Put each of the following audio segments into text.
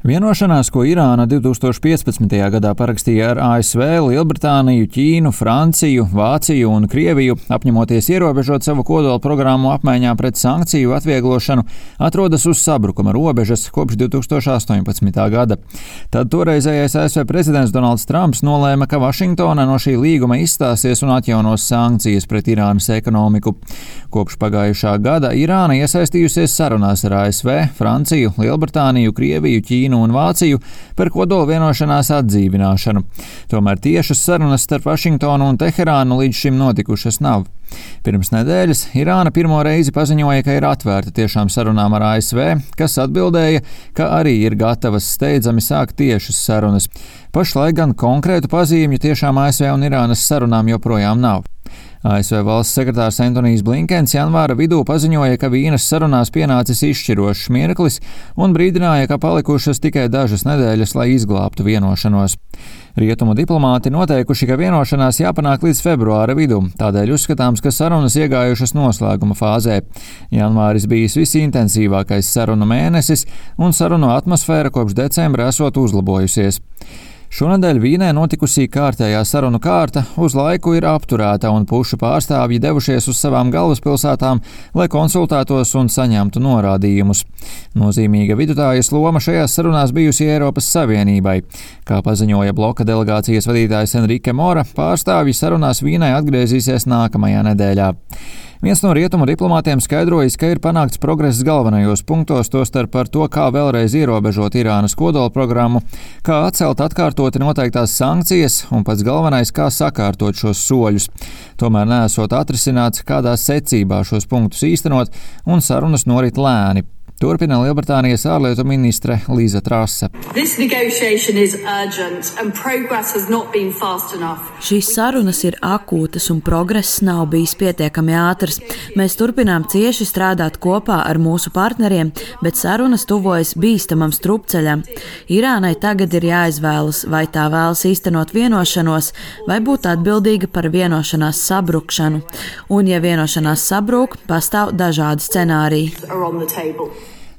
Vienošanās, ko Irāna 2015. gadā parakstīja ar ASV, Lielbritāniju, Ķīnu, Franciju, Vāciju un Krieviju, apņemoties ierobežot savu kodola programmu apmaiņā pret sankciju atvieglošanu, atrodas uz sabrukuma robežas kopš 2018. gada. Tad toreizējais ASV prezidents Donalds Trumps nolēma, ka Vašingtona no šī līguma izstāsies un atjaunos sankcijas pret Irānas ekonomiku. Kopš pagājušā gada Irāna iesaistījusies sarunās ar ASV, Franciju, Lielbritāniju, Krieviju, Ķīnu un Vāciju par kodola vienošanās atdzīvināšanu. Tomēr tiešas sarunas starp Vašingtonu un Teherānu līdz šim notikušas nav. Pirms nedēļas Irāna pirmo reizi paziņoja, ka ir atvērta tiešām sarunām ar ASV, kas atbildēja, ka arī ir gatavas steidzami sākt tiešas sarunas. Pašlaik gan konkrētu pazīmju tiešām ASV un Irānas sarunām joprojām nav. ASV valsts sekretārs Antonijs Blinkens janvāra vidū paziņoja, ka Vīnes sarunās pienācis izšķirošs mirklis un brīdināja, ka palikušas tikai dažas nedēļas, lai izglābtu vienošanos. Rietumu diplomāti noteikuši, ka vienošanās jāpanāk līdz februāra vidum, tādēļ uzskatāms, ka sarunas iegājušas noslēguma fāzē. Janvāris bijis visintensīvākais sarunu mēnesis, un sarunu atmosfēra kopš decembra esot uzlabojusies. Šonadēļ Vīnē notikusī kārtējā sarunu kārta uz laiku ir apturēta un pušu pārstāvji devušies uz savām galvaspilsētām, lai konsultētos un saņemtu norādījumus. Nozīmīga vidutājas loma šajās sarunās bijusi Eiropas Savienībai. Kā paziņoja bloka delegācijas vadītājs Enrique Mora, pārstāvji sarunās Vīnē atgriezīsies nākamajā nedēļā. Viens no rietumu diplomātiem skaidrojis, ka ir panākts progress galvenajos punktos, tostarp par to, kā vēlreiz ierobežot Irānas kodola programmu, kā atcelt atkārtoti noteiktās sankcijas un pats galvenais, kā sakārtot šos soļus. Tomēr neesot atrisināts, kādā secībā šos punktus īstenot, un sarunas norit lēni. Turpina Lielbritānijas ārlietu ministre Līza Trase. Šīs sarunas ir akūtas un progress nav bijis pietiekami ātrs. Mēs turpinām cieši strādāt kopā ar mūsu partneriem, bet sarunas tuvojas bīstamam strupceļam. Irānai tagad ir jāizvēlas, vai tā vēlas īstenot vienošanos, vai būt atbildīga par vienošanās sabrukšanu. Un, ja vienošanās sabrūk, pastāv dažādi scenāriji.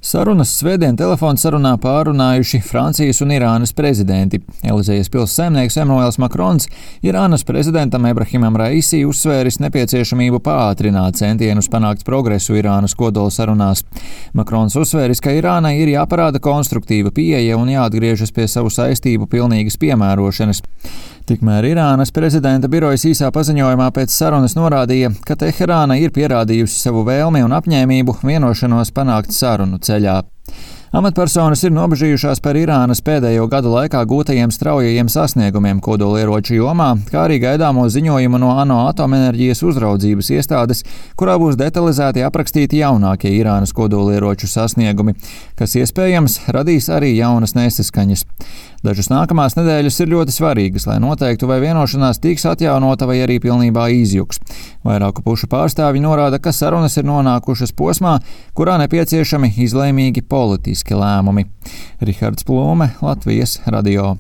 Sarunas svētdien telefona sarunā pārunājuši Francijas un Irānas prezidenti. Elizejas pils saimnieks Emmanuels Makrons Irānas prezidentam Ebrahimam Raisi uzsvēris nepieciešamību pātrināt centienus panākt progresu Irānas kodola sarunās. Makrons uzsvēris, ka Irānai ir jāparāda konstruktīva pieeja un jāatgriežas pie savu saistību pilnīgas piemērošanas. Tikmēr Irānas prezidenta birojas īsā paziņojumā pēc sarunas norādīja, ka Teherāna ir pierādījusi savu vēlmi un apņēmību vienošanos panākt sarunu ceļā. Amatpersonas ir nobežījušās par Irānas pēdējo gadu laikā gūtajiem straujajiem sasniegumiem kodolieroču jomā, kā arī gaidāmo ziņojumu no ANO atomenerģijas uzraudzības iestādes, kurā būs detalizēti aprakstīti jaunākie Irānas kodolieroču sasniegumi, kas iespējams radīs arī jaunas nesaskaņas. Dažas nākamās nedēļas ir ļoti svarīgas, lai noteiktu, vai vienošanās tiks atjaunota vai arī pilnībā izjuks. Vairāku pušu pārstāvji norāda, ka sarunas ir nonākušas posmā, kurā nepieciešami izlēmīgi politiski lēmumi. Rihards Plūme, Latvijas radio.